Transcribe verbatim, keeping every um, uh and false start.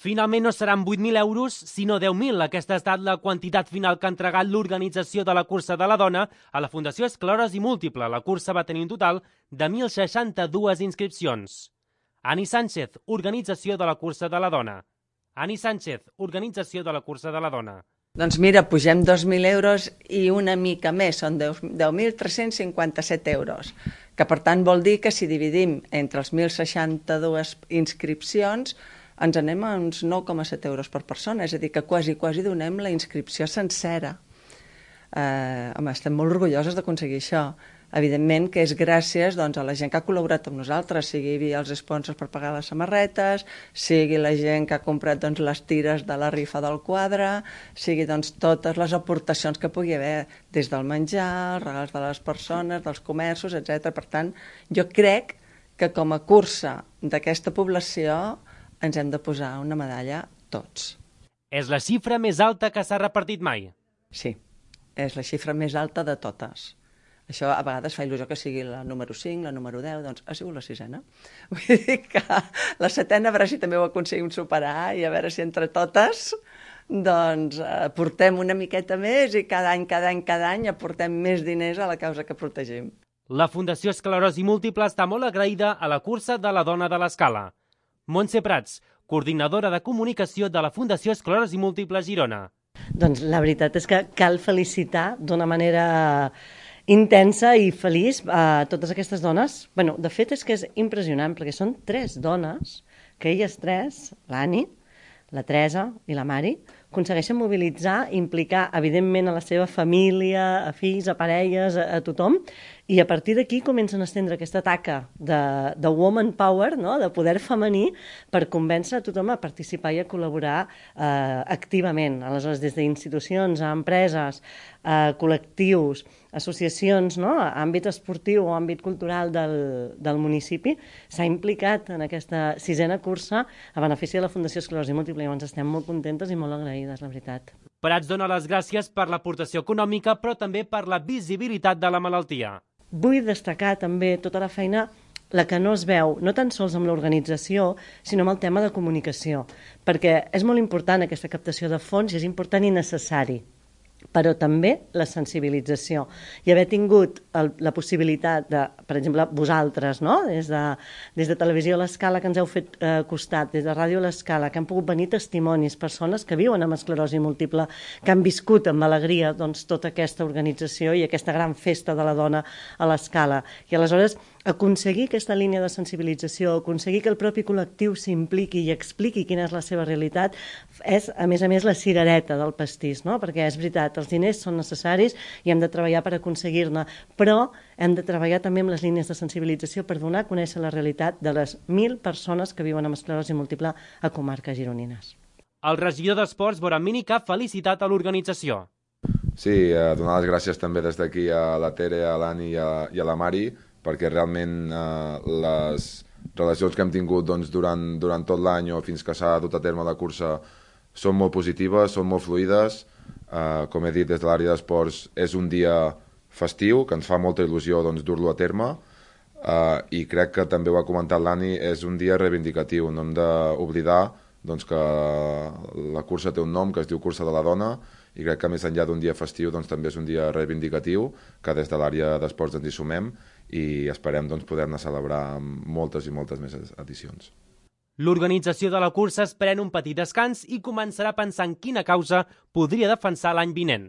Finalment no seran vuit mil euros, sinó deu mil. Aquesta ha estat la quantitat final que ha entregat l'organització de la Cursa de la Dona a la Fundació Esclerosi Múltiple. La cursa va tenir un total de mil seixanta-dues inscripcions. Ani Sánchez, organització de la Cursa de la Dona. Ani Sánchez, organització de la Cursa de la Dona. Doncs mira, pugem dos mil euros i una mica més, són deu mil tres-cents cinquanta-set euros, que per tant vol dir que si dividim entre els mil seixanta-dues inscripcions ens anem a uns nou coma set euros per persona, és a dir, que quasi, quasi donem la inscripció sencera. Eh, home, estem molt orgulloses d'aconseguir això. Evidentment que és gràcies doncs, a la gent que ha col·laborat amb nosaltres, sigui els sponsors per pagar les samarretes, sigui la gent que ha comprat doncs, les tires de la rifa del quadre, sigui doncs, totes les aportacions que pugui haver, des del menjar, els regals de les persones, dels comerços, etcètera. Per tant, jo crec que com a cursa d'aquesta població ens hem de posar una medalla tots. És la xifra més alta que s'ha repartit mai? Sí, és la xifra més alta de totes. Això a vegades fa il·lusió que sigui la número cinc, la número deu, doncs ha sigut la sisena. Vull dir que la setena a veure si també ho aconseguim superar i a veure si entre totes doncs aportem una miqueta més i cada any, cada any, cada any aportem més diners a la causa que protegim. La Fundació Esclerosi Múltiple està molt agraïda a la Cursa de la Dona de l'Escala. Montse Prats, coordinadora de comunicació de la Fundació Esclerosi Múltiple Girona. Doncs la veritat és que cal felicitar d'una manera intensa i feliç a totes aquestes dones. Bueno, de fet és que és impressionant perquè són tres dones que elles tres, l'Ani, la Teresa i la Mari, aconsegueixen mobilitzar, implicar evidentment a la seva família, a fills, a parelles, a, a tothom, i a partir d'aquí comencen a estendre aquesta taca de, de woman power, no? De poder femení, per convèncer a tothom a participar i a col·laborar eh, activament. Aleshores, des d'institucions, a empreses, a col·lectius, associacions, no? A àmbit esportiu o àmbit cultural del, del municipi, s'ha implicat en aquesta sisena cursa a benefici de la Fundació Esclerosi Múltiple i ens estem molt contentes i molt agraïdes, la veritat. Prats dona les gràcies per l'aportació econòmica, però també per la visibilitat de la malaltia. Vull destacar també tota la feina, la que no es veu, no tan sols amb l'organització, sinó amb el tema de comunicació, perquè és molt important aquesta captació de fons i és important i necessari, però també la sensibilització. I haver tingut el, la possibilitat de, per exemple, vosaltres, no? des, de, des de Televisió L'Escala, que ens heu fet eh, costat, des de Ràdio L'Escala, que han pogut venir testimonis, persones que viuen amb esclerosi múltiple, que han viscut amb alegria doncs, tota aquesta organització i aquesta gran festa de la dona a l'Escala. I aleshores aconseguir aquesta línia de sensibilització, aconseguir que el propi col·lectiu s'impliqui i expliqui quina és la seva realitat, és, a més a més, la cirereta del pastís, no? Perquè és veritat, els diners són necessaris i hem de treballar per aconseguir-ne, però hem de treballar també amb les línies de sensibilització per donar a conèixer la realitat de les mil persones que viuen amb esclerosi múltiple a comarques gironines. El regidor d'Esports, Boran Mini, que ha felicitat a l'organització. Sí, eh, donar les gràcies també des d'aquí a la Tere, a l'Ani i, i a la Mari, perquè realment eh, les relacions que hem tingut doncs, durant, durant tot l'any o fins que s'ha dut a terme la cursa són molt positives, són molt fluides. Eh, com he dit, des de l'àrea d'esports és un dia festiu, que ens fa molta il·lusió doncs, dur-lo a terme, eh, i crec que també ho ha comentat l'Ani, és un dia reivindicatiu. No hem d'oblidar doncs, que la cursa té un nom que es diu Cursa de la Dona, i crec que més enllà d'un dia festiu doncs, també és un dia reivindicatiu, que des de l'àrea d'esports ens hi sumem i esperem doncs, poder-ne celebrar moltes i moltes més edicions. L'organització de la cursa es pren un petit descans i començarà a pensar en quina causa podria defensar l'any vinent.